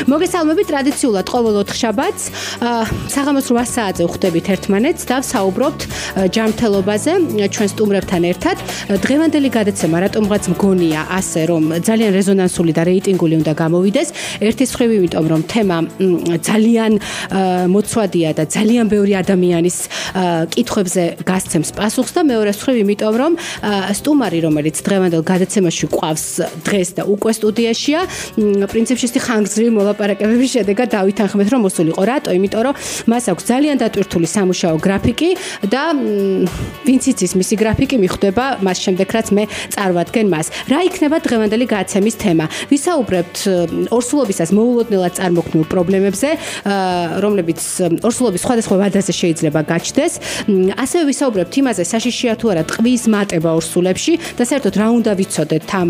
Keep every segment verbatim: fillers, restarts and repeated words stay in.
მოგესალმებით ტრადიციულად ყოველ ოთხშაბათს საღამოს რვა საათზე ვხვდებით ერთმანეთს და ვსაუბრობთ ჯანმრთელობაზე ჩვენ სტუმრებთან ერთად. დღევანდელი გადაცემა რატომღაც მგონია ასე რომ ძალიან რეზონანსული და რეიტინგული უნდა გამოვიდეს. ერთის მხრივ იმიტომ რომ თემა ძალიან მოცვადია და ძალიან ბევრი ადამიანის კითხვებზე გასცემს პასუხს და მეორეს მხრივ იმიტომ რომ სტუმარი რომელიც დღევანდელ გადაცემაში ყავს დღეს და უკვე სტუდიაშია პრინციპში ის ხანგრძლივი მოლაპარაკებების შედეგად დავითანხმეთ რომ მოსულიყო. რატო? იმიტომ რომ მას აქვს ძალიან დატვირთული სამუშაო გრაფიკი და ვინც იცის მისი გრაფიკი მიხვდება მას შემდეგ რაც მე წარვადგენ მას. რა იქნება დღევანდელი გადაცემის თემა? ვისაუბრებთ ორსულობისას მოულოდნელად წარმოქმნილ პრობლემებზე, რომლებიც ორსულობის სხვადასხვა ვადაზე შეიძლება გაჩნდეს. ასევე ვისაუბრებთ იმაზე, საშიშია თუ არა ტყვის მატება ორსულებში და საერთოდ რა უნდა ვიცოდეთ ამ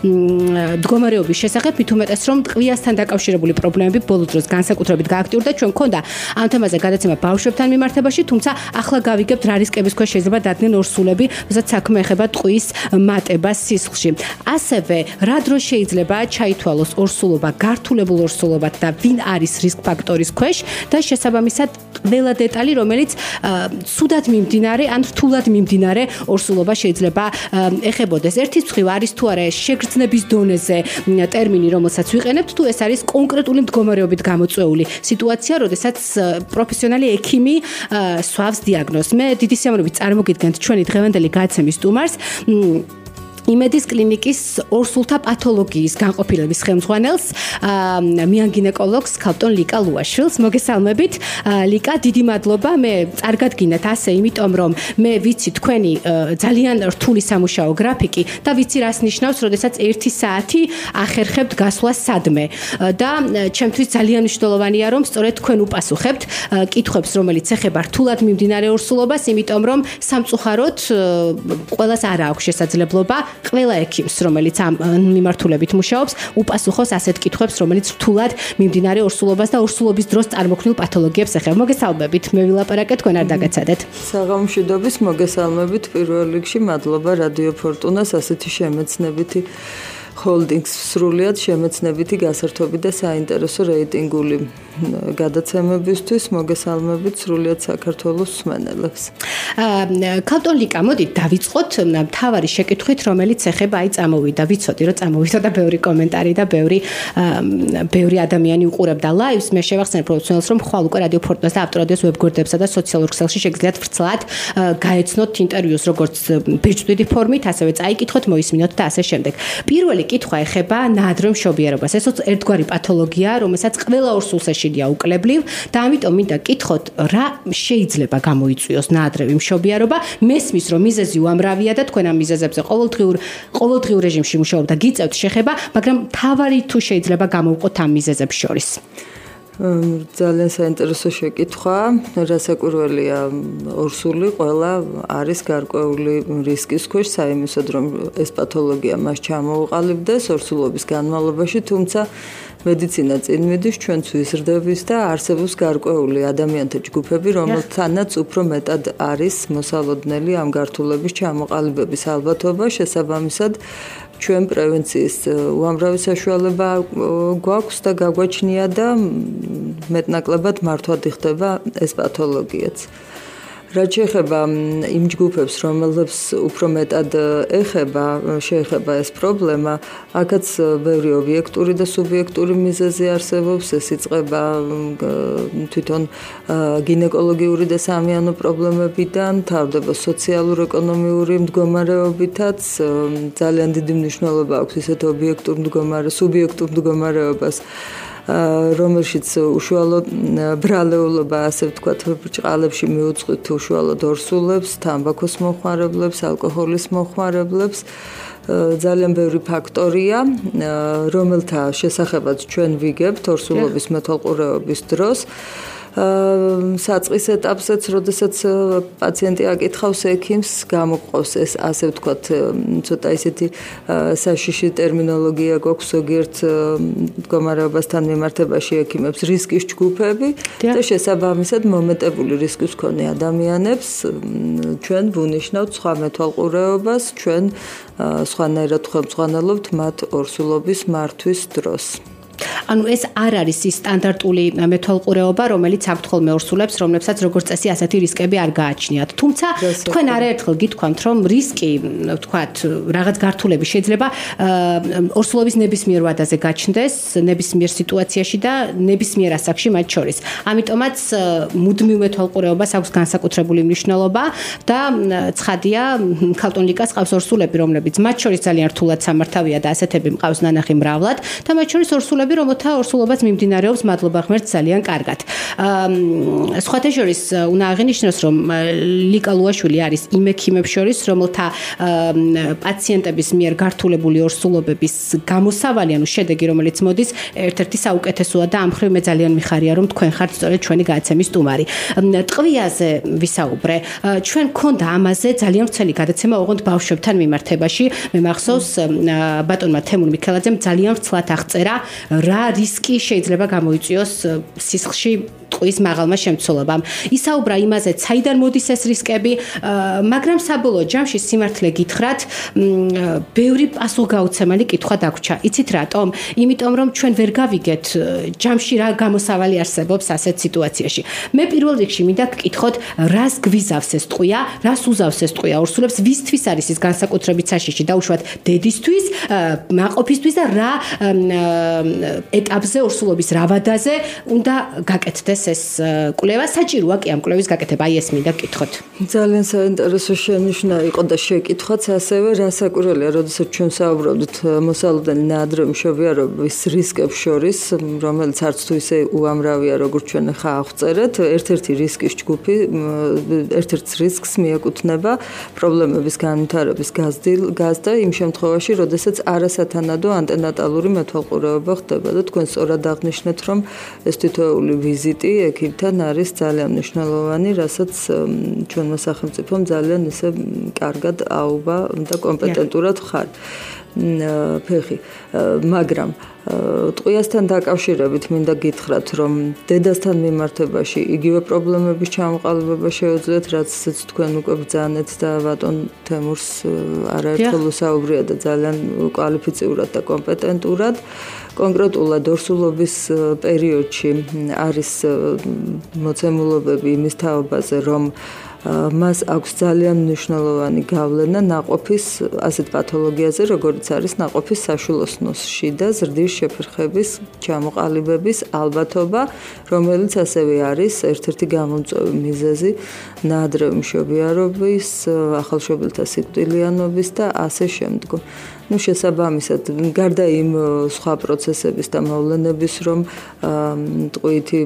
მდგომარეობის შესახებ, მით უმეტეს რომ ტყვიასთან დაკავშირებული პრობლემები ბოლო დროს განსაკუთრებით გააქტიურდა. ჩვენ მქონდა ამ თემაზე გადაცემა ბავშვებთან მიმართებაში, თუმცა ახლა გავიგებთ რა რისკების ქვეშ შეიძლება დადგნენ ორსულები, როდესაც საქმე ეხება ტყვის მატებას სისხლში. ასევე რა დროს შეიძლება ჩაითვალოს ორსულობა გართულებულ ორსულობად და ვინ არის რისკ ფაქტორის ქვეშ და შესაბამისად ყველა დეტალი, რომელიც ცუდად მიმდინარე ან რთულად მიმდინარე ორსულობა შეიძლება ეხებოდეს. ერთის მხრივ არის თუ არა შეგრძნების დონეზე ტერმინი, რომელსაც ვიყენებთ, თუ ეს არის კონკრეტული მდგომარეობით გამოწვეული სიტუაცია, როდესაც პროფესიონალი ექიმი სვავს დიაგნოზს. მე დიდი სიამოვნებით წარმოგიდგენთ ჩვენი დღევანდელი გადაცემის სტუმარს, იმედის კლინიკის ორსულთა პათოლოგიის განყოფილების ხელმძღვანელს, მიანგინეკოლოგს ქალბატონ ლიკა ლუაშვილს. მოგესალმებით. ლიკა, დიდი მადლობა. მე წარგადგინეთ ასე, იმიტომ რომ მე ვიცი თქვენი ძალიან რთული სამუშაო გრაფიკი და ვიცი რას ნიშნავს, როდესაც ერთი საათი ახერხებთ გასვლას სადმე. და ჩემთვის ძალიან მნიშვნელოვანია, რომ სწორედ თქვენ უპასუხებთ კითხვებს, რომელიც ეხება რთულად მიმდინარე ორსულობას, იმიტომ რომ სამწუხაროდ ყველას არ აქვს შესაძლებლობა ყველა ექიმს, რომელიც ამ მიმართულებით მუშაობს, უპასუხოს ასეთ კითხვებს, რომელიც რთულად მიმდინარე ორსულობას და ორსულობის დროს წარმოქმნილ პათოლოგიებს ეხება. მოგესალმებით, მე ვილაპარაკე, თქვენ არ დაგაცადეთ. საღამომშვიდობის, მოგესალმებით პირველ რიგში, მადლობა რადიო ფორტუნას ასეთი შემეცნებითი ჰოლდინგს სრულიად შემეცნებითი გასართობი და საინტერესო რეიტინგული გადაცემებისთვის მოგესალმებით სრულიად საქართველოს მსმენელებს. ქალბატონ ლიკა, მოდით დავიწყოთ მთავარი შეკითხვით, რომელიც ეხება აი წამოვიდა, ვიცოდი რომ წამოვიდა და ბევრი კომენტარი და ბევრი ბევრი ადამიანი უყურებდა ლაივს. მე შევახსენებ პროფესიონალს, რომ ხვალ უკვე რადიო ფორტუნას და ავტორადიოს ვებგვერდებსა და სოციალურ ქსელში შეგიძლიათ ვრცლად გაეცნოთ ინტერვიუს როგორც ბეჭდვითი ფორმით, ასევე წაიკითხოთ, მოისმინოთ და ასე შემდეგ. პირველი კითხვა ეხება ნაადრევ მშობიარობას. ეს ერთგვარი პათოლოგია, რომელსაც ყველა ორსულს ეშინია უკლებლივ და ამიტომ მინდა კითხოთ, რა შეიძლება გამოიწვიოს ნაადრევი მშობიარობა. მესმის, რომ მიზეზი უამრავია და თქვენ ამ მიზეზებზე ყოველდღიურ ყოველდღიურ რეჟიმში მუშაობთ და გიწევთ შეხება, მაგრამ თავარი თუ შეიძლება გამოვყოთ ამ მიზეზებს შორის. ძალიან საინტერესო შეკითხვა. რასაკვირველია, ორსული ყველა არის გარკვეული რისკის ქვეშ საიმისოდ, რომ ეს პათოლოგია მას ჩამოუყალიბდეს ორსულობის განმავლობაში, თუმცა მედიცინა წინ მიდის, ჩვენც ვიზრდებით და არსებობს გარკვეული ადამიანთა ჯგუფები, რომელთანაც უფრო მეტად არის მოსალოდნელი ამ გართულების ჩამოყალიბების ალბათობა, შესაბამისად ჩვენ პრევენციის უამრავი საშუალება გვაქვს და გაგვაჩნია და მეტნაკლებად მართვად იხდება ეს პათოლოგიაც. რაც შეეხება იმ ჯგუფებს, რომელებს უფრო მეტად ეხება, შეეხება ეს პრობლემა, აქაც ბევრი ობიექტური და სუბიექტური მიზეზი არსებობს, ეს იწყება თვითონ გინეკოლოგიური და სამიანო პრობლემებიდან, თავდება სოციალურ-ეკონომიური მდგომარეობითაც, ძალიან დიდი მნიშვნელობა აქვს ისეთ ობიექტურ მდგომარე, სუბიექტურ მდგომარეობას, რომელშიც უშუალოდ ბრალეულობა, ასე ვთქვათ, ბრჭყალებში მიუძღვით უშუალოდ ორსულებს, თამბაქოს მოხმარებლებს, ალკოჰოლის მოხმარებლებს. ძალიან ბევრი ფაქტორია, რომელთა შესახებაც ჩვენ ვიგებთ ორსულობის მეთვალყურეობის დროს. საწყის ეტაპზეც, როდესაც პაციენტი აკითხავს ექიმს, გამოყავს ეს, ასე ვთქვათ, ცოტა ისეთი საშიში ტერმინოლოგია გვაქვს ზოგიერთ მდგომარეობასთან მიმართებაში ექიმებს, რისკის ჯგუფები და შესაბამისად მომეტებული რისკის მქონე ადამიანებს ჩვენ ვუნიშნავთ სხვა მეთვალყურეობას, ჩვენ სხვანაირად ხელმძღვანელობთ მათ ორსულობის მართვის დროს. ანუ ეს არ არის ის სტანდარტული მეთვალყურეობა, რომელიც აქვთ ხოლმე ორსულებს, რომლებსაც როგორც წესი ასეთი რისკები არ გააჩნიათ. თუმცა თქვენ არაერთხელ გითქვამთ, რომ რისკი, ვთქვათ, რაღაც გართულები შეიძლება ორსულობის ნებისმიერ ვადაზე გაჩნდეს, ნებისმიერ სიტუაციაში და ნებისმიერ ასაკში მათ შორის. ამიტომაც მუდმივ მეთვალყურეობას აქვს განსაკუთრებული მნიშვნელობა და ცხადია, ქალტონ ლიკას ყავს ორსულები, რომლებიც მათ შორის ძალიან რთულად სამართავია და ასეთები მყავს ნანახი მრავლად და მათ შორის ორსულები, რომელთა ორსულობაც მიმდინარეობს მადლობა ღმერთს ძალიან კარგად. სხვათა შორის უნდა აღინიშნოს, რომ ლიკა ლუაშვილი არის იმ ექიმებს შორის, რომელთა პაციენტების მიერ გართულებული ორსულობების გამოსავალი, ანუ შედეგი, რომელიც მოდის, ერთ-ერთი საუკეთესოა და ამ მხრივ მე ძალიან მიხარია, რომ თქვენ ხართ სწორედ ჩვენი გადაცემის სტუმარი. ტყვიაზე ვისაუბრე. ჩვენ გქონდა ამაზე ძალიან ვრცელი გადაცემა ოღონდ ბავშვებთან მიმართებაში. მე მახსოვს ბატონმა თემურ მიქელაძემ ძალიან ვრცლად აღწერა, რა რისკი შეიძლება გამოიწვიოს სისხლში ტყვის მაღალმა შემცველობამ. ისაუბრა იმაზე, საიდან მოდის ეს რისკები, მაგრამ საბოლოო ჯამში სიმართლე გითხრათ, ბევრი პასუხგაუცემელი კითხვა დაგვრჩა. იცით რატომ? იმიტომ რომ ჩვენ ვერ გავიგეთ ჯამში რა გამოსავალი არსებობს ასეთ სიტუაციაში. მე პირველ რიგში მინდა გკითხოთ, რას გვიზავს ეს ტყვია, რას უზავს ეს ტყვია ორსულებს, ვისთვის არის ის განსაკუთრებით საშიში, დაუშვათ დედისთვის, მაყოფისთვის და რა ეტაპზე ორსულობის რა ვადაზე უნდა გაკეთდეს ეს კვლევა. საჭიროა კი ამ კვლევის გაკეთება, აი ეს მინდა გკითხოთ. ძალიან საინტერესო შენიშვნა იყო და შეკითხვაც ასევე რასაკვირველია, როდესაც ჩვენ საუბრობთ მოსალოდნელი ნაადრევი მშობიარობის რისკებს შორის, რომელიც არც თუ ისე უამრავია, როგორც ჩვენ ხა აღწერეთ, ერთ-ერთი რისკის ჯგუფი, ერთ-ერთ რისკს მიეკუთვნება პრობლემების განვითარების გაზრდა იმ შემთხვევაში, როდესაც არასათანადო ანტენატალური მეთვალყურეობა ხდება და თქვენ სწორად აღნიშნეთ, რომ ეს თითოეული ვიზიტი ექიმთან არის ძალიან მნიშვნელოვანი, რასაც ჩვენმა სახელმწიფომ ძალიან ისე კარგად აუვა და კომპეტენტურად ხარ. ფეხი, მაგრამ ტყვიასთან დაკავშირებით მინდა გითხრათ, რომ დედასთან მიმართებაში იგივე პრობლემების ჩამოყალიბება შეუძლიათ, რაც თქვენ უკვე ბრძანეთ და ბატონ თემურს არაერთხელ უსაუბრია და ძალიან კვალიფიციურად და კომპეტენტურად. კონკრეტულად ორსულობის პერიოდში არის მოცემულობები იმის თაობაზე, რომ მას აქვს ძალიან მნიშვნელოვანი გავლენა ნაყოფის ასეთ პათოლოგიაზე, როგორც არის ნაყოფის საშვილოსნოში და ზრდის შეფერხების ჩამოყალიბების ალბათობა, რომელიც ასევე არის ერთ-ერთი გამომწვევი მიზეზი ნაადრევი მშობიარობის, ახალშობილთა სიკვდილიანობის და ასე შემდგომ. ну შესაბამისად გარდა იმ სხვა პროცესების და მოვლენების რომ ტყვიითი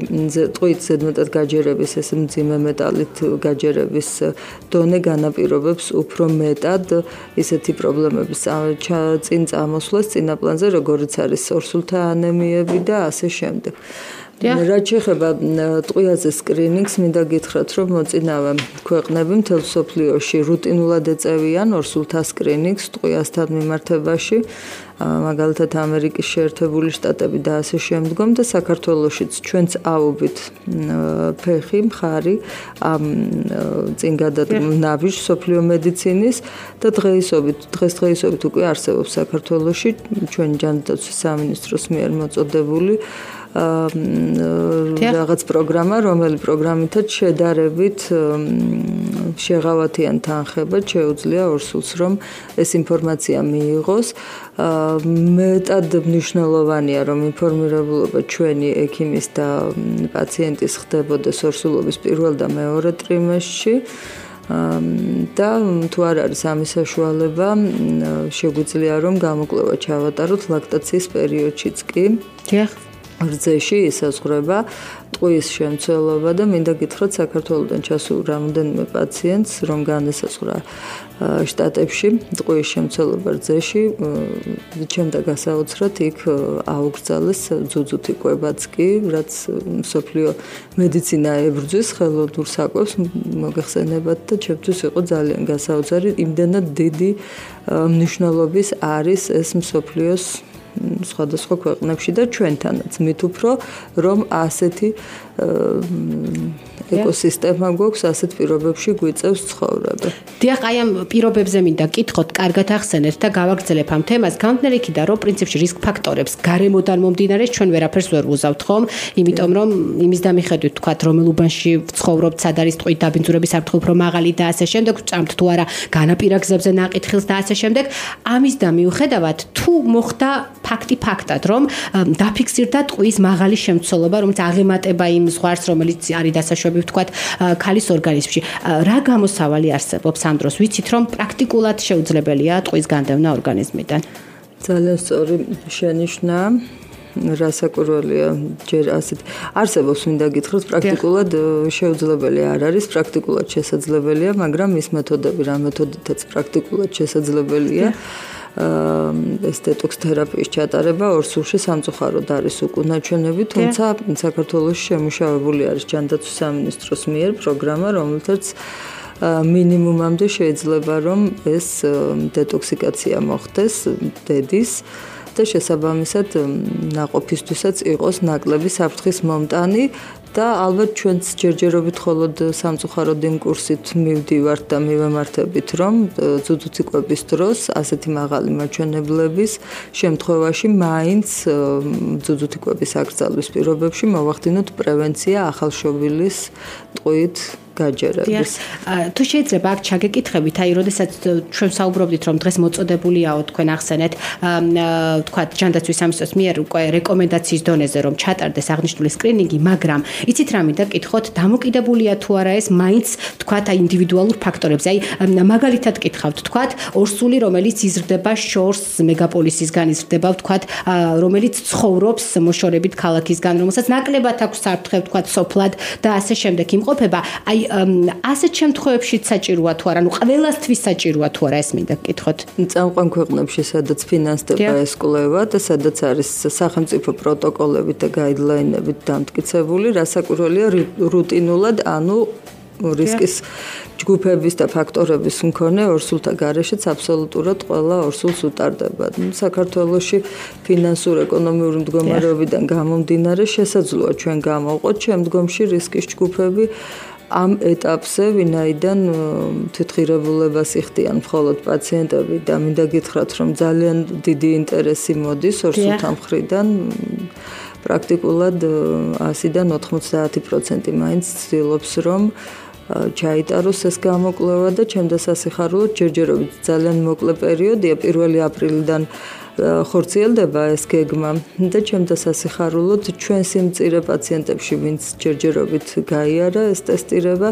ტყვიით ზედმეტად გაჯერების ეს მძიმე მეტალით გაჯერების დონე განაპირობებს უფრო მეტად ისეთი პრობლემების წინ წამოსვლას წინაპლანზე როგორც არის ორსულთა ანემიები და ასე შემდეგ. რაც შეეხება ტყვიაზე სკრინინგს, მინდა გითხრათ, რომ მოწინავე ქვეყნები მთელ მსოფლიოში რუტინულად ეწევიან ორსულთა სკრინინგს ტყვიასთან მიმართებაში, მაგალითად ამერიკის შეერთებული შტატები და ასე შემდგომ და საქართველოშიც ჩვენც აუვით ფეხი მხარი ამ წინგადადნავი მსოფლიო მედიცინის და დღეისობით დღესდღეობით უკვე არსებობს საქართველოში ჩვენი ჯანდაცვის სამინისტროს მიერ მოწოდებული რაღაც პროგრამა, რომელი პროგრამითაც შედარებით შეღავათიან თანხებად შეუძლია ორსულს, რომ ეს ინფორმაცია მიიღოს. მეტად მნიშვნელოვანია, რომ ინფორმირებულობა ჩვენი ექიმის და პაციენტის ხდებოდეს ორსულობის პირველ და მეორე ტრიმესტრში. და თუ არ არის ამის საშუალება, შეგვიძლია რომ გამოკვლევა ჩავატაროთ ლაქტაციის პერიოდშიც კი. დიახ. რძეში ისაზღვრება ტყვის შემცველობა და მინდა გითხრათ საქართველოსთან ჩასულ რამდენიმე პაციენტს რომ განესაზღვრა შტატებში ტყვის შემცველობა რძეში ჩემდა გასაოცრად იქ აუგრძალეს ძუძუთი კვებაც კი რაც მსოფლიო მედიცინა ებრძვის ხელოვნურ საკვებს მოგეხსენებათ და ჩემთვის იყო ძალიან გასაოცარი იმდენად დიდი მნიშვნელობის არის ეს მსოფლიოს სხვადასხვა ქვეყნებში და ჩვენთანაც მით უფრო რომ ასეთი ეკოსისტემა გვაქვს, ასეთ პირობებში გვიწევს ცხოვრება. დიახ, აი ამ პირობებზე მინდა კითხოთ, კარგად ახსენეთ და გავაგრძელებ ამ თემას. გამომდინარე იქიდან, რომ პრინციპში რისკ ფაქტორებს გარემოდან მომდინარეს ჩვენ ვერაფერს ვერ ვუზავთ, ხომ? იმიტომ რომ იმის დამიხედვით ვთქვათ, რომელ უბანში ვცხოვრობთ, სად არის ტყვით დაბინძურების საფრთხე უფრო მაღალი და ასე შემდეგ, ვწამთ თუ არა განაპირა გზებზე ნაყიდხილს და ასე შემდეგ. ამის და მიუხედავად, თუ მოხდა ფაქტი ფაქტად, რომ დაფიქსირდა ტყვის მაღალი შემცველობა, რომელიც აღემატება იმ ზღვარს, რომელიც არის დასაშვები ვთქვათ ქალის ორგანიზმში. რა გამოსავალი არსებობს ამ დროს? ვიცით რომ პრაქტიკულად შეუძლებელია ტყვის განდევნა ორგანიზმიდან. ძალიან სწორი შენიშვნა. რასაკურველია ჯერ ასეთ არსებობს მინდა გითხრათ პრაქტიკულად შეუძლებელი არ არის, პრაქტიკულად შესაძლებელია, მაგრამ ის მეთოდები, რა მეთოდითაც პრაქტიკულად შესაძლებელია. ეს დეტოქს თერაპიის ჩატარება ორ სულში სამწუხაროდ არის უკუნა-ჩვენები, თუმცა საქართველოში შემუშავებული არის ჯანდაცვის სამინისტროს მიერ პროგრამა, რომელთაც მინიმუმამდე შეიძლება რომ ეს დეტოქსიკაცია მოხდეს დედის და შესაბამისად ნაყოფისთვისაც იყოს ნაკლები საფრთხის მომტანი და ალბათ ჩვენც ჯერჯერობით მხოლოდ სამწუხაროდ იმ კურსით მივდივართ და მივემართებით, რომ ძუძუთიკვების დროს ასეთი მაღალი მაჩვენებლების შემთხვევაში მაინც ძუძუთიკვების აკრძალვის პირობებში მოვახდინოთ პრევენცია ახალშობილის ტყვით გაჯერების. თუ შეიძლება აქ ჩაგეკითხებით, აი, როდესაც ჩვენ საუბრობდით, რომ დღეს მოწოდებულიაო თქვენ ახსენეთ, ვთქვათ, ჯანდაცვის სამინისტროს მიერ უკვე რეკომენდაციის დონეზე რომ ჩატარდეს აღნიშნული სკრინინგი, მაგრამ იცით რა მინდა გკითხოთ, დამოკიდებულია თუ არა ეს მაინც ვთქვათ, აი ინდივიდუალურ ფაქტორებზე. აი, მაგალითად გკითხავთ, ვთქვათ, ორსული, რომელიც იზრდება შორს მეგაპოლისისგან, იზრდება, ვთქვათ, რომელიც ცხოვრობს მოშორებით ქალაქისგან, რომელსაც ნაკლებად აქვს საფრთხე, ვთქვათ, სოფლად და ასე შემდეგ იმყოფება. აი ასეთ შემთხვევებშიც საჭიროა თუ არა, ნუ ყველასთვის საჭიროა თუ არა, ეს მინდა გკითხოთ. წამყვან ქვეყნებში, სადაც ფინანსდება ეს კვლევა და სადაც არის სახელმწიფო პროტოკოლებით და გაიდლაინებით დამტკიცებული, რასაკურველია რუტინულად, ანუ რისკის ჯგუფების და ფაქტორების მქონე ორსულთა გარეშეც აბსოლუტურად ყველა ორსულს უტარდება. საქართველოში ფინანსურ ეკონომიური მდგომარეობიდან გამომდინარე შესაძლოა ჩვენ გამოვყოთ შემდგომში რისკის ჯგუფები ამ ეტაპზე, ვინაიდან თვითღირებულებას იხდიან მხოლოდ პაციენტები და მინდა გითხრათ, რომ ძალიან დიდი ინტერესი მოდის ორსულთა მხრიდან. პრაქტიკულად ასიდან ოთხმოცდაათი პროცენტი მაინც ცდილობს, რომ ჩაიტაროს ეს გამოკვლევა და ჩემ დასასიხარულოდ ჯერჯერობით ძალიან მოკლე პერიოდია, პირველი აპრილიდან ხორციელდება ეს გეგმა და ჩემ დასასიხარულოდ ჩვენ სიმწირე პაციენტებში, ვინც ჯერჯერობით გაიარა ეს ტესტირება,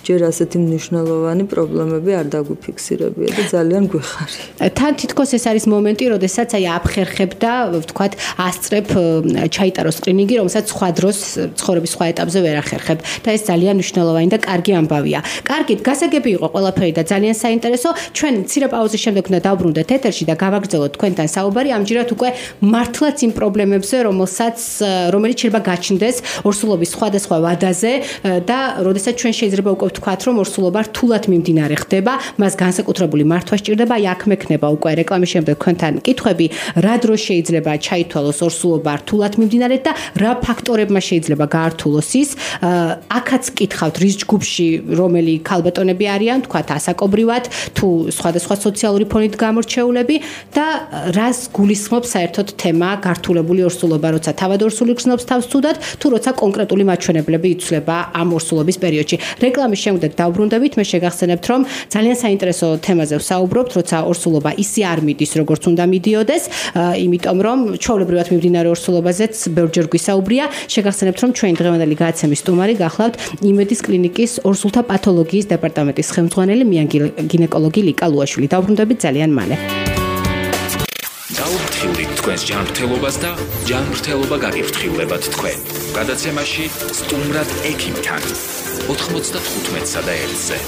ჯერ ასეთი მნიშვნელოვანი პრობლემები არ დაგვიფიქსირებია და ძალიან გვეხარია. თან თითქოს ეს არის მომენტი, როდესაც აი აფხერხებ და ვთქვათ, ასწრებ ჩაიტაროს სკრინინგი, რომელსაც სხვა დროს ცხოვრების სხვა ეტაპზე ვერ ახერხებ და ეს ძალიან მნიშვნელოვანი და კარგი ამბავია. კარგით, გასაგები იყო ყველაფერი და ძალიან საინტერესო. ჩვენ მცირე პაუზის შემდეგ უნდა დავბრუნდეთ ეთერში და გავაგრძელოთ თქვენთან საუბარი ამჯერად უკვე მართლაც იმ პრობლემებზე, რომელსაც რომელიც შეიძლება გაჩნდეს ორსულობის სხვადასხვა ვადაზე და როდესაც ჩვენ შეიძლება უკვე ვთქვათ, რომ ორსულობა რთულად მიმდინარე ხდება, მას განსაკუთრებული მართვა სჭირდება, აი აქ მექნება უკვე რეკლამის შემდეგ თქვენთან კითხვები, რა დროს შეიძლება ჩაითვალოს ორსულობა რთულად მიმდინარეთ და რა ფაქტორებმა შეიძლება გაართულოს ის. აქაც კითხავთ, რის ჯგუფში რომელი ქალბატონები არიან, ვთქვათ, ასაკობრივად, თუ სხვადასხვა სოციალური ფონით გამორჩეულები და რას გულისხმობს საერთოდ თემა გართულებული ორსულობა, როცა თავად ორსული გრძნობს თავს ცუდად, თუ როცა კონკრეტული მაჩვენებლები იცვლება ამ ორსულობის პერიოდში. რეკლამის შემდეგ დავბრუნდებით, მე შეგახსენებთ, რომ ძალიან საინტერესო თემაზე ვსაუბრობთ, როცა ორსულობა ისე არ მიდის, როგორც უნდა მიდიოდეს, იმიტომ რომ ჩვეულებრივად მიმდინარე ორსულობაზეც ბევრჯერ გვისაუბრია. შეგახსენებთ, რომ ჩვენი დღევანდელი გადაცემის სტუმარი გახლავთ იმედის კლინიკის ორსულთა პათოლოგიის დეპარტამენტის ხელმძღვანელი მიან გინეკოლოგი ლიკა ლუაშვილი. დავბრუნდებით ძალიან მალე. დაუფრთხილდით თქვენს ჯანმრთელობას და ჯანმრთელობა გაგიფრთხილებათ თქვენ. გადაცემაში სტუმრად ექიმთან ოთხმოცდათხუთმეტსა და ერთზე.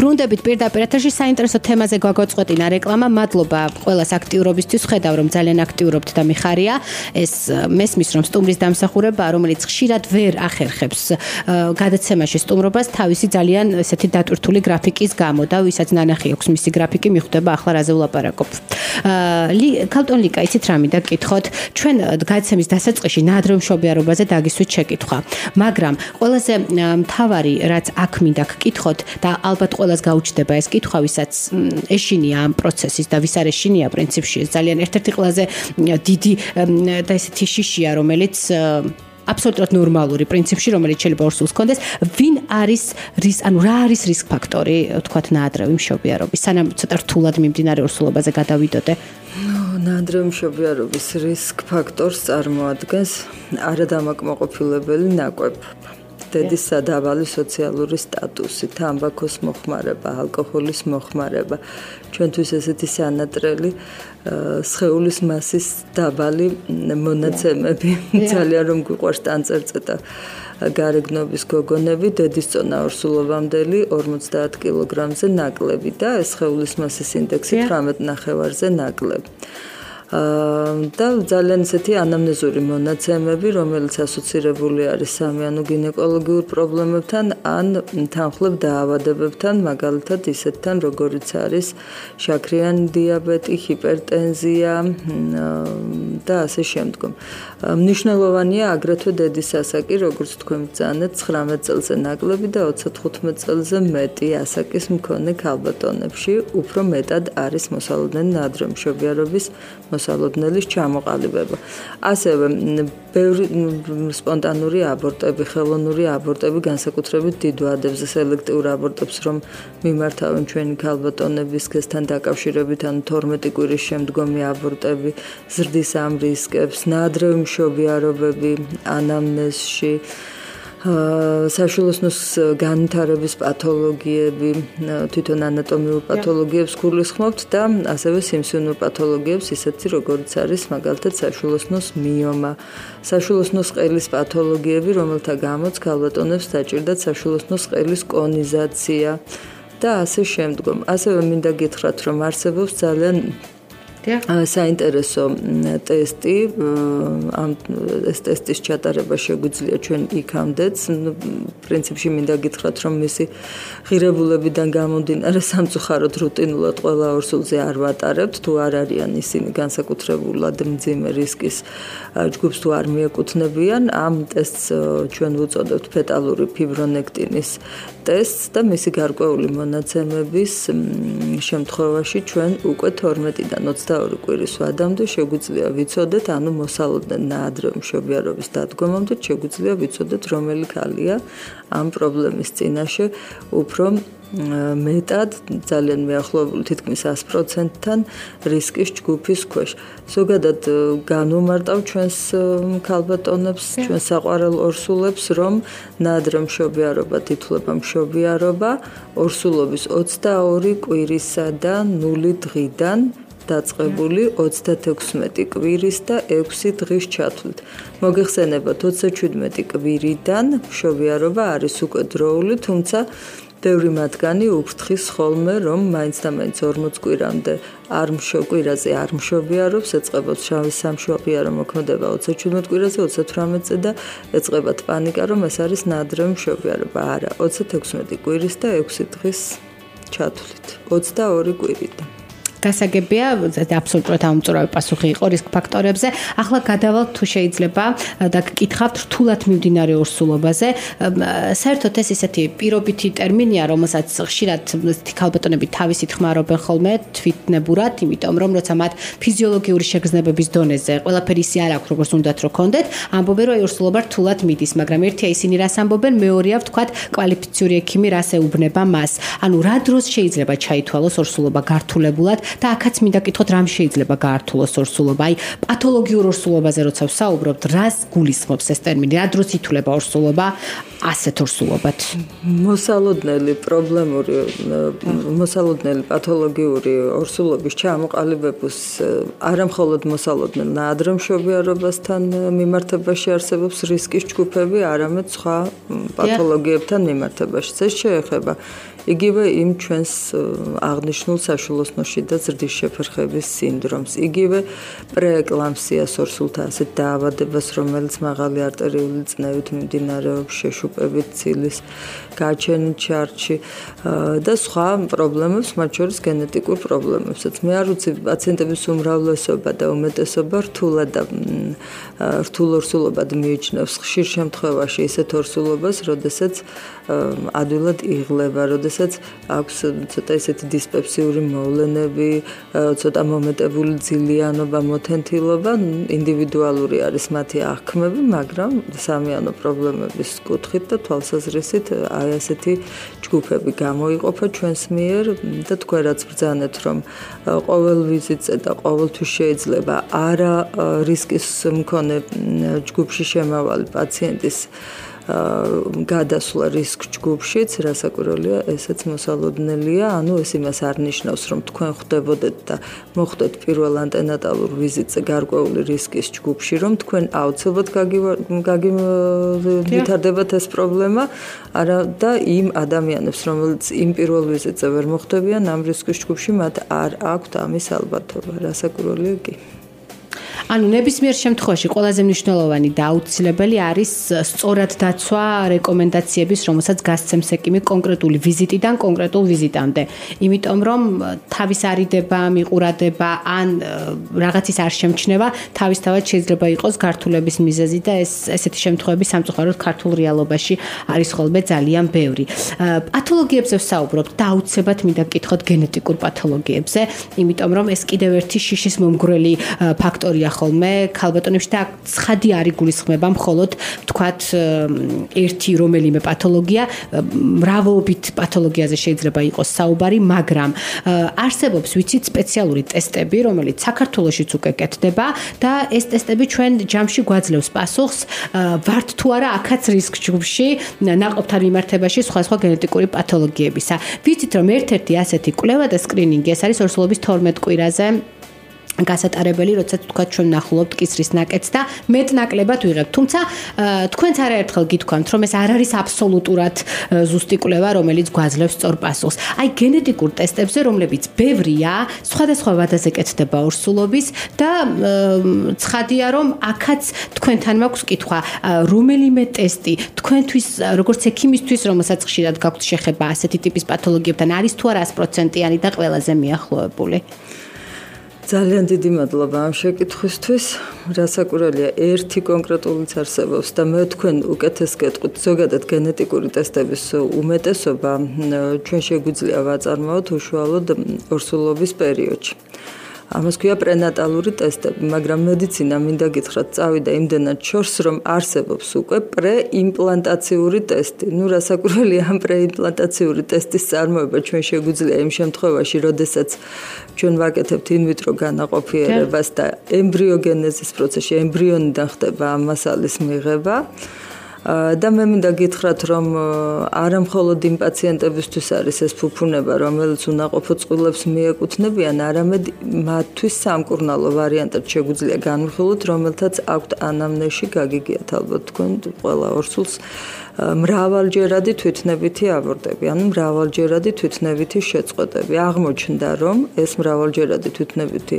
ბრუნდებით პირდაპირ ეთერში საინტერესო თემაზე გვაგოწყვეტინა რეკლამა. მადლობა ყველას აქტიურობისთვის. ხედავ რომ ძალიან აქტიურობთ და მიხარია. ეს მესმის რომ სტუმრის დამსახურება, რომელიც ხშირად ვერ ახერხებს გადაცემაში სტუმრობას თავისი ძალიან ესეთი დატვირთული გრაფიკის გამო და ვისაც ნანახი აქვს მისი გრაფიკი მიხვდება ახლა რაზე ვლაპარაკობ. ქალტონ ლიკა, იცით რა მინდა გკითხოთ? ჩვენ გადაცემის დასაწყისში ნაადრევ მშობიარობაზე დაგისვით შეკითხვა. მაგრამ ყველაზე მთავარი რაც აქ მინდა გკითხოთ და ალბათ ყველას გაუჩნდება ეს კითხვა, ვისაც ეშინია ამ პროცესის და ვის არ ეშინია პრინციპში ეს ძალიან ერთ-ერთი ყველაზე დიდი და ესეთი შიშია, რომელიც აბსოლუტურად ნორმალური პრინციპში, რომელიც შეიძლება ორ სულს ჰქონდეს, ვინ არის რის, ანუ რა არის რისკ ფაქტორი, თქვათ, ნაადრევი მშობიარობის, სანამ ცოტა რთულად მიმდინარე ორსულობაზე გადავიდოდე. ნაადრევი მშობიარობის რისკ ფაქტორს წარმოადგენს არადამაკმაყოფილებელი ნაკვები. დედის სადავალი სოციალური სტატუსი, თამბაქოს მოხმარება, ალკოჰოლის მოხმარება, ჩვენთვის ესეთი სანატრელი სხეულის მასის დაბალი მონაცემები, ძალიან რომ გვიყვარს ტანწერწეტა გარეგნობის გოგონები, დედის წონა ორსულობამდელი ორმოცდაათ კილოგრამზე ნაკლები და ეს სხეულის მასის ინდექსი თვრამეტ ნახევარზე ნაკლები. და ძალიან ისეთი ანამნეზური მონაცემები, რომელიც ასოცირებული არის სამიანო გინეკოლოგიურ პრობლემებთან ან თანხლებ დაავადებებთან, მაგალითად ისეთთან, როგორიც არის შაქრიანი დიაბეტი, ჰიპერტენზია და ასე შემდგომ. მნიშვნელოვანია აგრეთვე დედის ასაკი, როგორც თქვენ ბრძანეთ, ცხრამეტ წელზე ნაკლები და ოცდათხუთმეტ წელზე მეტი ასაკის მქონე ქალბატონებში უფრო მეტად არის მოსალოდნელი ნაადრევი მშობიარობის მოსალოდნელის ჩამოყალიბება. ასევე ბევრი სპონტანური აბორტები, ხელოვნური აბორტები, განსაკუთრებით დიდ ვადებზე სელექტიურ აბორტებს რომ მიმართავენ ჩვენი ქალბატონები სქესთან დაკავშირებით, ან თორმეტი კვირის შემდგომი აბორტები ზრდის ამ რისკებს, ნაადრევი მშობიარობები ანამნეზში, საშვილოსნოს განვითარების პათოლოგიები, თვითონ ანატომიურ პათოლოგიებს გულისხმობთ და ასევე სიმსივნურ პათოლოგიებს, ისეთი როგორც არის მაგალითად საშვილოსნოს მიომა, საშვილოსნოს ყელის პათოლოგიები, რომელთა გამოც ქალბატონებს დაჭირდათ საშვილოსნოს ყელის კონიზაცია და ასე შემდგომ. ასევე მინდა გითხრათ, რომ არსებობს ძალიან საინტერესო ტესტი, ამ ეს ტესტის ჩატარება შეგვიძლია ჩვენ იქამდეც. პრინციპში მინდა გითხრათ, რომ მისი ღირებულებიდან გამომდინარე სამწუხაროდ რუტინულად ყველა ორსულზე არ ვატარებთ, თუ არ არიან ისინი განსაკუთრებულად მძიმე რისკის ჯგუფს თუ არ მიეკუთვნებიან. ამ ტესტს ჩვენ ვუწოდებთ ფეტალური ფიბრონექტინის ტესტს და მისი გარკვეული მონაცემების შემთხვევაში ჩვენ უკვე თორმეტიდან ოცდაორი კვირის ვადამდე შეგვიძლია ვიცოდეთ, ანუ მოსალოდნელ ნაადრევი მშობიარობის დადგომამდე შეგვიძლია ვიცოდეთ, რომელი ქალია ამ პრობლემის წინაშე უფრო მეტად, ძალიან მეახლოებული თითქმის ას პროცენტთან რისკის ჯგუფის ქვეშ. ზოგადად განვუმარტავ ჩვენს ქალბატონებს, ჩვენს საყვარელ ორსულებს, რომ ნაადრევი მშობიარობა ითვლება მშობიარობა ორსულობის ოცდაორი კვირისა და ნული დღიდან დაწყებული ოცდათექვსმეტი კვირის და ექვსი დღის ჩათვლით. მოგეხსენებათ, ოცდაჩვიდმეტი კვირიდან მშობიარობა არის უკვე დროული, თუმცა ბევრი მათგანი უფრთხის ხოლმე, რომ მაინც და მაინც ორმოც კვირამდე არ მშობიარაზე არ მშობიარობს, ეწყებათ შავი სამშობიარო მოქმედება ოცდაჩვიდმეტ კვირაზე, ოცდათვრამეტზე და ეწყებათ პანიკა, რომ ეს არის ნაადრევი მშობიარობა. არა, ოცდათექვსმეტი კვირის და ექვსი დღის ჩათვლით. ოცდაორი კვირიდან. გასაგებია, აბსოლუტურად ამწურავი პასუხი იყო რისკ ფაქტორებზე. ახლა გადავალთ თუ შეიძლება და გკითხავთ რთულად მიმდინარე ორსულობაზე. საერთოდ ეს ისეთი პირობითი ტერმინია, რომელსაც ხშირად ქალბატონები თავისით ხმარობენ ხოლმე თვითნებურად, იმიტომ რომ როცა მათ ფიზიოლოგიური შეგრძნებების დონეზე ყველაფერი ისე არ აქვს, როგორც უნდათ რომ კონდეთ, ამბობენ რომ ორსულობა რთულად მიდის, მაგრამ ერთია ისინი რას ამბობენ, მეორეა ვთქვათ კვალიფიციური ექიმი რას ეუბნება მას. ანუ რა დროს შეიძლება ჩაითვალოს ორსულობა გართულებულად და აქაც მინდა გკითხოთ, რამ შეიძლება გაართულოს ორსულობა? აი, პათოლოგიურ ორსულობაზე როცა ვსაუბრობთ, რას გულისხმობს ეს ტერმინი? რა დროს ითვლება ორსულობა ასეთ ორსულობად? მოსალოდნელი პრობლემური, მოსალოდნელი პათოლოგიური ორსულობის ჩამოყალიბების არამხოლოდ მოსალოდნელ ნაადრევ მშობიარობასთან მიმართებაში არსებობს რისკის ჯგუფები, არამედ სხვა პათოლოგიებთან მიმართებაში. ეს შეეხება იგივე იმ ჩვენს აღნიშნულ საშვილოსნოში და ზრდის შეფერხების სინდრომს, იგივე პრეეკლამპსიას, ორსულთა ასეთ დაავადებას, რომელიც მაღალი არტერიული წნევით მიმდინარეობს, შეშუპებით, ცილის გაჩენით ჩარჩი და სხვა პრობლემებს, მათ შორის გენეტიკურ პრობლემებსაც. მე არ ვიცი, პაციენტების უმრავლესობა და უმეტესობა რთულად და რთულ ორსულობად მიიჩნევს ხშირ შემთხვევაში ისეთ ორსულობას, როდესაც ადვილად იღლება, როდესაც აქვს ცოტა ისეთი დისპეპსიური მოვლენები, ცოტა მომეტებული ძილიანობა, მოთენთილობა, ინდივიდუალური არის მათი აღქმები, მაგრამ სამიანო პრობლემების კუთხით და თვალსაზრისით აი ასეთი ჯგუფები გამოიყოფა ჩვენს მიერ და თქვენ რაც ბრძანეთ, რომ ყოველ ვიზიტზე და ყოველთვის შეიძლება არა რისკის მქონე ჯგუფში შემავალი პაციენტის გადასვლა რისკ ჯგუფშიც, რასაკვირველია, ესეც მოსალოდნელია, ანუ ეს იმას არ ნიშნავს, რომ თქვენ ხვდებოდეთ და მოხვდეთ პირველ ანტენატალურ ვიზიტზე გარკვეული რისკის ჯგუფში, რომ თქვენ აუცილებლად გაგივითარდებათ ეს პრობლემა, არა და იმ ადამიანებს, რომელიც იმ პირველ ვიზიტზე ვერ მოხვდებიან ამ რისკის ჯგუფში, მათ არ აქვთ ამის ალბათობა, რასაკვირველია კი. ანუ ნებისმიერ შემთხვევაში ყველაზე მნიშვნელოვანი და აუცილებელი არის სწორად დაცვა რეკომენდაციების, რომელსაც გასცემს ექიმი კონკრეტული ვიზიტიდან კონკრეტულ ვიზიტამდე. იმიტომ რომ თავის არიდება, მიყურადება ან რაღაცის არ შემჩნევა, თავისთავად შეიძლება იყოს გართულების მიზეზი და ეს ესეთი შემთხვევები სამწუხაროდ ქართულ რეალობაში არის ხოლმე ძალიან ბევრი. პათოლოგიებზე ვსაუბრობთ და აუცილებლად მინდა გკითხოთ გენეტიკურ პათოლოგიებზე, იმიტომ რომ ეს კიდევ ერთი შიშის მომგვრელი ფაქტორია ხოლმე ქალბატონებში და ცხადი არ იგულისხმება მხოლოდ თქვათ ერთი რომელიმე პათოლოგია, მრავალობით პათოლოგიაზე შეიძლება იყოს საუბარი, მაგრამ არსებობს ვიცით სპეციალური ტესტები, რომელიც საქართველოშიც უკვე კეთდება და ეს ტესტები ჩვენ ჯამში გვაძლევს პასუხს, ვართ თუ არა აქაც რისკ ჯგუფში ნაყოფთან მიმართებაში სხვადასხვა გენეტიკური პათოლოგიებისა. ვიცით რომ ერთ-ერთი ასეთი კვლევა და სკრინინგი ეს არის ორსულობის თორმეტ კვირაზე გასატარებელი, როდესაც თქვა ჩვენ ნახულობთ კისრის ნაკეთს და მეტნაკლებად ვიღებთ. თუმცა თქვენც არაერთხელ გითქვამთ, რომ ეს არ არის აბსოლუტურად ზუსტი კვლევა, რომელიც გვაძლევს სწორ პასუხს. აი გენეტიკურ ტესტებზე, რომლებიც ბევრია, სხვადასხვა ვადაზე კეთდება ორსულობის და ცხადია, რომ აქაც თქვენთან მაქვს კითხვა, რომელიმე ტესტი თქვენთვის, როგორც ექიმისთვის, რომელსაც ხშირად გაქვთ შეხება ასეთი ტიპის პათოლოგიებთან, არის თუ არა sto პროცენტიანი და ყველაზე მიახლოებული? ძალიან დიდი მადლობა ამ შეკითხვისთვის. რასაკვირველია, ერთი კონკრეტულიც არსებობს და მე თქვენ უკეთეს გეტყვით, ზოგადად გენეტიკური ტესტების უმეტესობა ჩვენ შეგვიძლია ვაწარმოოთ უშუალოდ ორსულობის პერიოდში. ამას ქვია პრენატალური ტესტები, მაგრამ მედიცინა მინდა გითხრათ, წავიდა იმდენად შორს, რომ არსებობს უკვე პრეიმპლანტაციური ტესტი. ნუ რასაკვირველია, ამ პრეიმპლანტაციური ტესტის წარმოება ჩვენ შეგვიძლია იმ შემთხვევაში, როდესაც ჩვენ ვაკეთებთ ინვიტრო განაყოფიერებას და ემბრიოგენეზის პროცესში ემბრიონიდან ხდება ამ მასალის მიღება. და მე მინდა გითხრათ, რომ არა მხოლოდ იმ პაციენტებისთვის არის ეს ფუფუნება, რომელიც უნაყოფო წყვილებს მიეკუთვნებიან, არამედ მათთვის სამკურნალო ვარიანტად შეგვიძლია განვიხილოთ, რომელთაც აქვთ ანამნეზში გაგიგიათ ალბათ თქვენ ყველა ორსულს მრავალჯერადი თვითნებითი აბორტები, ანუ მრავალჯერადი თვითნებითი შეწყვეტები. აღმოჩნდა, რომ ეს მრავალჯერადი თვითნებითი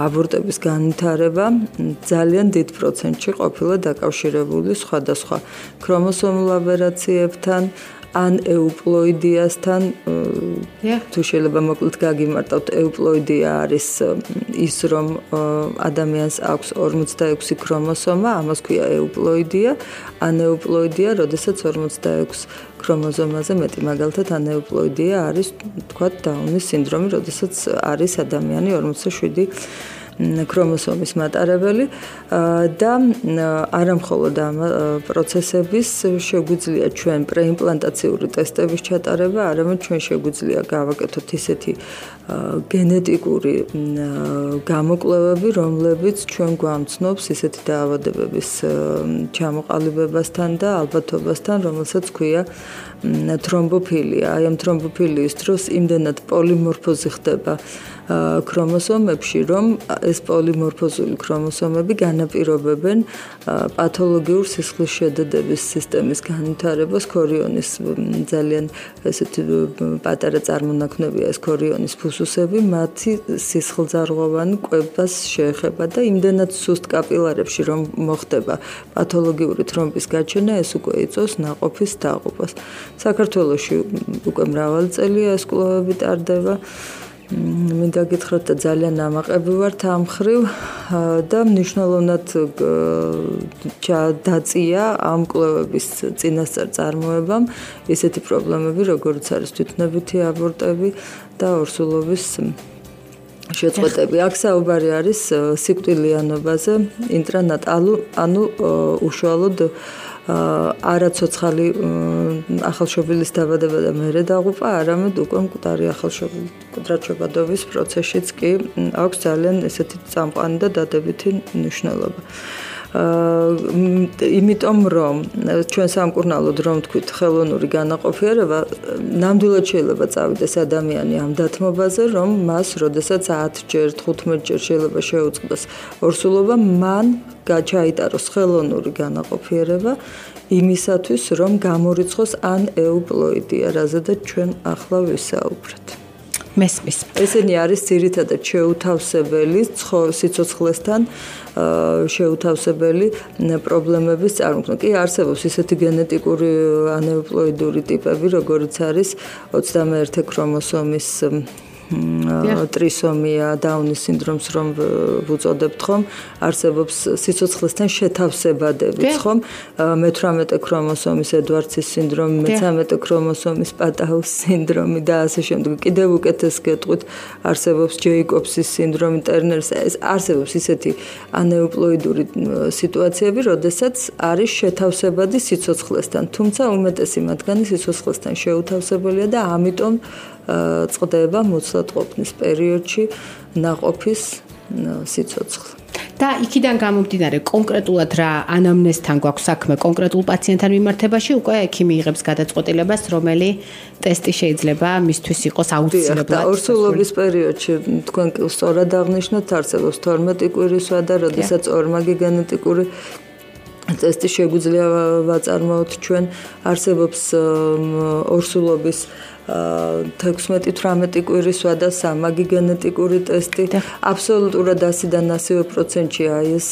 აბორტების განვითარება ძალიან დიდ პროცენტში ყოფილა დაკავშირებული სხვადასხვა ქრომოსომულ აბერაციებთან, ან ეუპლოიდიასთან, თუ შეიძლება მოკლედ გაგიმარტავთ, ეუპლოიდია არის ის, რომ ადამიანს აქვს ორმოცდაექვსი ქრომოსომა, ამას ქვია ეუპლოიდია, ანეუპლოიდია, როდესაც ორმოცდაექვსი ქრომოზომაზე მეტი, მაგალითად ანეუპლოიდია არის, თქვათ, დაუნის სინდრომი, როდესაც არის ადამიანი ორმოცდაშვიდი ქრომოსომის მატარებელი და არამხოლოდ ამ პროცესების შეგვიძლია ჩვენ პრეიმპლანტაციური ტესტების ჩატარება, არამედ ჩვენ შეგვიძლია გავაკეთოთ ისეთი გენეტიკური გამოკვლევები, რომლებიც ჩვენ გვამცნობს ისეთი დაავადებების ჩამოყალიბებასთან და ალბათობასთან, რომელსაც ქვია თრომბოფილია. აი ამ თრომბოფილიის დროს იმდენად პოლიმორფოზი ხდება ქრომოსომებში, რომ ეს პოლიმორფოზული ქრომოსომები განაპირობებენ პათოლოგიურ სისხლის შედედების სისტემის განვითარებას. ქორიონის ძალიან ესეთი პატარა წარმონაქმნებია ეს ქორიონის ფუსუსები, მათი სისხლძარღვოვანი კვებას შეეხება და იმდენად სუსტ კაპილარებში რომ მოხდება პათოლოგიური თრომბის გაჩენა, ეს უკვე იწვევს ნაყოფის დაღუპვას. საქართველოში უკვე მრავალი წელია ეს კვლევები ტარდება. მინდა გითხრათ და ძალიან ამაყები ვართ ამ მხრივ და მნიშვნელოვნად დაწია ამ კვლევების წინასწარ წარმოებამ ესეთი პრობლემები, როგორც არის თვითნებითი აბორტები და ორსულობის შეწყვეტები. აქ საუბარი არის სიკვდილიანობაზე, ინტრანატალურ, ანუ უშუალოდ არაცოცხალი ახალშობილის დაბადება და მერე დაღუპვა, არამედ უკვე მკვდარი ახალშობილი მკვდრად-შობადობის პროცესშიც კი აქვს ძალიან ესეთი წამყვანი და დადებითი მნიშვნელობა. იმიტომ რომ ჩვენ სამკურნალოდ რომ თქვით ხელოვნური განაყოფიერება, ნამდვილად შეიძლება წავიდეს ადამიანი ამ დათმობაზე, რომ მას როდესაც ათჯერ, თხუთმეტჯერ შეიძლება შეუწყდეს ორსულობა, მან გაჩაიტაროს ხელოვნური განაყოფიერება იმისათვის, რომ გამორიცხოს ან ეუპლოიდია, რაზედაც ჩვენ ახლა ვისაუბრეთ. მესმის. ესენი არის ძირითადად შეუთავსებელი სიცოცხლესთან შეუთავსებელი პრობლემების წარმოქმნა. კი არსებობს ისეთი გენეტიკური ანეუპლოიდური ტიპები, როგორც არის ოცდამეერთე ქრომოსომის ტრისომია, დაუნის სინდრომს რომ ვუწოდებთ ხომ, არსებობს სიცოცხლესთან შეთავსებადებიც ხომ, მეთვრამეტე ქრომოსომის ედვარდსის სინდრომი, მეცამეტე ქრომოსომის პატაუს სინდრომი და ასე შემდეგ. კიდევ უკეთეს გეტყვით, არსებობს ჯეიკობსის სინდრომი, ტერნერის, ეს არსებობს ისეთი ანეუპლოიდური სიტუაციები, როდესაც არის შეთავსებადი სიცოცხლესთან, თუმცა უმეტესი მათგანი სიცოცხლესთან შეუთავსებელია და ამიტომ წყდება მოცლად ყოფნის პერიოდში ნაყოფის სიცოცხლე. და იქიდან გამომდინარე კონკრეტულად რა ანამნეზთან გვაქვს საქმე კონკრეტულ პაციენტთან მიმართებაში, უკვე ექიმი იღებს გადაწყვეტილებას, რომელი ტესტი შეიძლება მისთვის იყოს აუცილებლად. ორსულობის პერიოდში თქვენ სწორად აღნიშნეთ, არსებობს თორმეტი კვირისვა და როდესაც ორმაგი გენეტიკური ტესტი შეგვიძლია ვაწარმოოთ ჩვენ, არსებობს ორსულობის თექვსმეტი თვრამეტი კვირისვა და სამაგი გენეტიკური ტესტი. აბსოლუტურად ასიდან ასივე პროცენტში აი ეს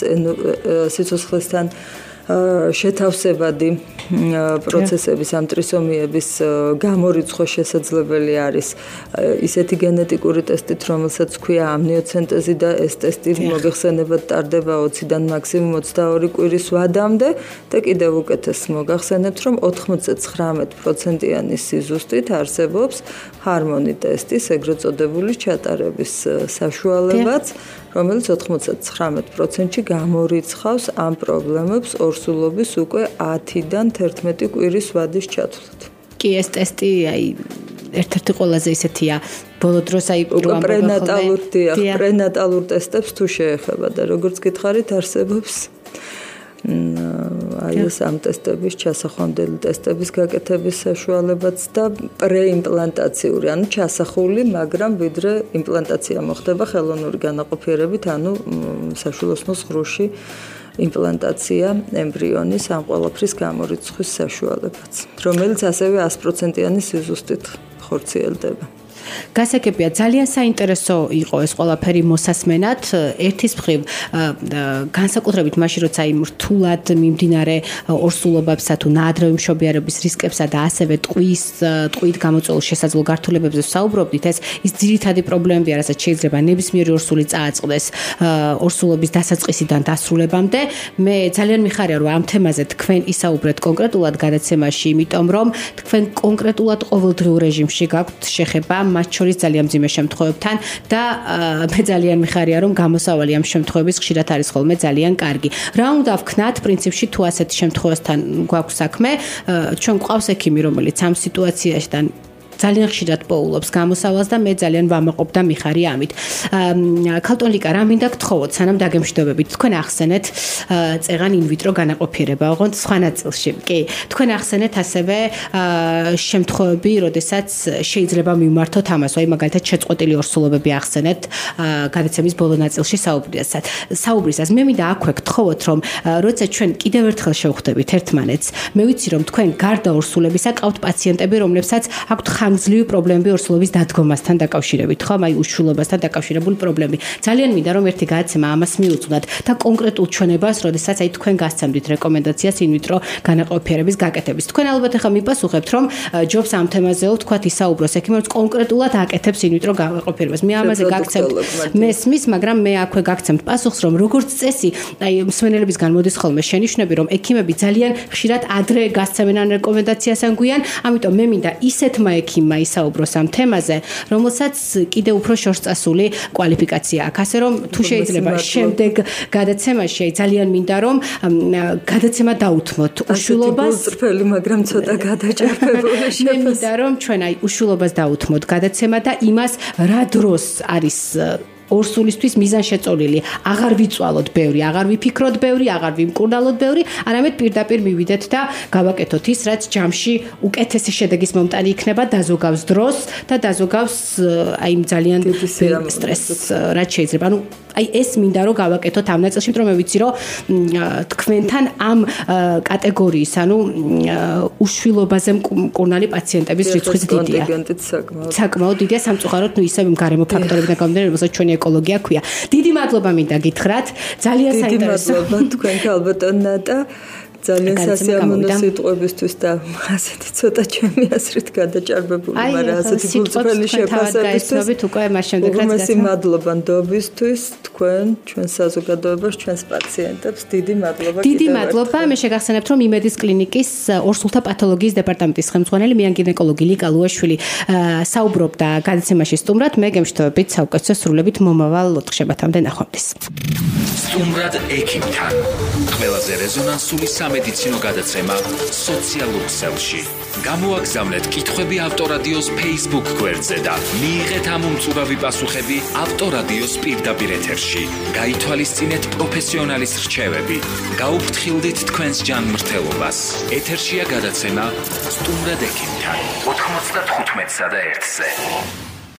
სიცოცხლესთან შეთავსებადი პროცესების ამ ტრისომიების გამორიცხვა შესაძლებელი არის ისეთი გენეტიკური ტესტით, რომელსაც ქვია ამნიოცენტეზი და ეს ტესტი მოგეხსენებათ ტარდება ოციდან მაქსიმუმ ოცდაორი კვირის ვადამდე და კიდევ უკეთეს მოგახსენებთ, რომ ოთხმოცდათხრამეტ პროცენტიანი სიზუსტით არსებობს ჰარმონი ტესტის ეგრეთ წოდებული ჩატარების საშუალებაც, რომელიც ოთხმოცდათხრამეტ პროცენტში გამორიცხავს ამ პრობლემებს ორსულობის უკვე ათიდან თერთმეტი კვირის ვადის ჩათვლით. კი, ეს ტესტი აი ერთ-ერთი ყველაზე ისეთია, ბოლო დროს აი პრენატალურ დიახ, პრენატალურ ტესტებს თუ შეეხება და როგორც გითხარით, არსებობს აი ეს ამ ტესტების ჩასახვამდელი ტესტების გაკეთების საშუალებაც და პრეიმპლანტაციური, ანუ ჩასახული, მაგრამ ვიდრე იმპლანტაცია მოხდება ხელოვნური განაყოფიერებით, ანუ საშვილოსნოს ღრუში იმპლანტაცია ემბრიონის ამ ყველაფრის გამორიცხვის საშუალებაც, რომელიც ასევე sto პროცენტიანი სიზუსტით ხორციელდება. გასაგებია, ძალიან საინტერესო იყო ეს ყველაფერი მოსასმენად. ერთის მხრივ განსაკუთრებით მაშინ, როცა იმ რთულად მიმდინარე ორსულობებსა თუ ნაადრევი მშობიარობის რისკებსა და ასევე ტყვის ტყვით გამოწვეულ შესაძლო გართულებებზე საუბრობდით, ეს ის ძირითადი პრობლემებია, რასაც შეიძლება ნებისმიერი ორსული წააწყდეს ორსულობის დასაწყისიდან დასრულებამდე. მე ძალიან მიხარია, რომ ამ თემაზე თქვენ ისაუბრეთ კონკრეტულად გადაცემაში, იმიტომ რომ თქვენ კონკრეტულად ყოველდღიურ რეჟიმში გაქვთ შეხება მათ შორის ძალიან მძიმე შემთხვევებთან და მე ძალიან მიხარია, რომ გამოსავალი ამ შემთხვევების ხშირად არის ხოლმე ძალიან კარგი. რა უნდა ვქნათ პრინციპში თუ ასეთი შემთხვევასთან გვაქვს საქმე, ჩვენ გვყავს ექიმი, რომელიც ამ სიტუაციაშთან ძალიან ხშირად პოულობს გამოსავალს და მე ძალიან ვამაყობ და მიხარი ამით. ქალტონ ლიკა, რა მინდა გთხოვოთ, სანამ დაგემშვიდობებით, თქვენ ახსენეთ წეღან ინვიტრო განაყოფიერება, ოღონდ სხვა ნაწილში. კი, თქვენ ახსენეთ ასევე შემთხვევები, როდესაც შეიძლება მიმართოთ ამას, აი მაგალითად შეწყვეტილი ორსულობები ახსენეთ გადაცემის ბოლო ნაწილში საუბრისას. საუბრისას მე მინდა აქვე გთხოვოთ, რომ როცა ჩვენ კიდევ ერთხელ შევხვდებით ერთმანეთს, მე ვიცი რომ თქვენ გარდა ორსულებისა ყავთ პაციენტები, რომლებსაც აქვთ ხანგრძლივი პრობლემები ორსულობის დადგომასთან დაკავშირებით, ხო, აი უშვილობასთან დაკავშირებული პრობლემები. ძალიან მინდა რომ ერთი გადაცემა ამას მიუძღვნათ და კონკრეტულ ჩვენებას, როდესაც აი თქვენ გასცემდით რეკომენდაციას ინვიტრო განაყოფიერების გაკეთების. თქვენ ალბათ ახლა მიპასუხებთ, რომ ჯობს ამ თემაზეო თქვათ ისაუბროს ექიმი, რომ კონკრეტულად აკეთებს ინვიტრო განაყოფიერებას. მე ამაზე გაგცემთ მესმის, მაგრამ მე აქვე გაგცემთ პასუხს, რომ როგორც წესი, აი მსმენელებისგან მოდის ხოლმე შენიშვნები, რომ ექიმები ძალიან ხშირად ადრე გასცემენ ან რეკომენდაციას ან გვიან, ამიტომ მე მინდა ისეთმა ექიმმა ისაუბროს ამ თემაზე, რომელსაც კიდევ უფრო შორსწასული კვალიფიკაცია აქვს. ასე რომ თუ შეიძლება შემდეგ გადაცემაში ძალიან მინდა რომ გადაცემა დაუთმოთ უშვილობას. წრფელი, მაგრამ ცოტა გადაჭარბებული შეფასება. მე მინდა რომ ჩვენ აი უშვილობას დაუთმოთ გადაცემა და იმას რა დროს არის ორსულისთვის მიზანშეწონილი, აღარ ვიწვალოთ ბევრი, აღარ ვიფიქროთ ბევრი, აღარ ვიმკურნალოთ ბევრი, არამედ პირდაპირ მივიდეთ და გავაკეთოთ ის, რაც ჯამში უკეთესი შედეგის მომტანი იქნება, დაზოგავს დროს და დაზოგავს აი ძალიან სტრესს, რაც შეიძლება. ანუ აი ეს მინდა რომ გავაკეთოთ ამ ნაწილში, რომ მე ვიცი რომ თქვენთან ამ კატეგორიის, ანუ უშვილობაზე მკურნალი პაციენტების რიცხვიც დიდია. საკმაოდ დიდია, სამწუხაროდ, ნუ ისევ გარემო ფაქტორებიდან გამომდინარე, რომელსაც ჩვენი ეკოლოგია ქვია. დიდი მადლობა მინდა გითხრათ. ძალიან საინტერესო. დიდი მადლობა თქვენ ალბათ ნატა. ძალიან სასიამოვნო სიტყვებისთვის და ასეთი ცოტა ჩემი აზრით გადაჭარბებული, მაგრამ ასეთი გულწრფელი შეფასებისთვის უკვე მას შემდეგ რაც გასცემ. მადლობა ნდობისთვის თქვენ, ჩვენ საზოგადოებას, ჩვენს პაციენტებს. დიდი მადლობა. დიდი მადლობა. მე შეგახსენებთ, რომ იმედის კლინიკის ორსულთა პათოლოგიის დეპარტამენტის ხელმძღვანელი მიან გინეკოლოგი ლიკა ლუაშვილი საუბრობდა გადაცემაში სტუმრად. მე გემშვიდობებით საუკეთესო სრულებით მომავალ ოთხშაბათამდე ნახვამდის. სტუმრად ექიმთან. ყველაზე რეზონანსული სამედიცინო გადაცემა სოციალურ ქსელში. გამოაგზავნეთ კითხვები ავტორადიოს Facebook გვერდზე და მიიღეთ ამ უმწურავი პასუხები ავტორადიოს პირდაპირ ეთერში. გაითვალისწინეთ პროფესიონალის რჩევები. გაუფრთხილდით თქვენს ჯანმრთელობას. ეთერშია გადაცემა სტუმრად ექიმთან. ოთხმოცდათხუთმეტსა და ერთზე.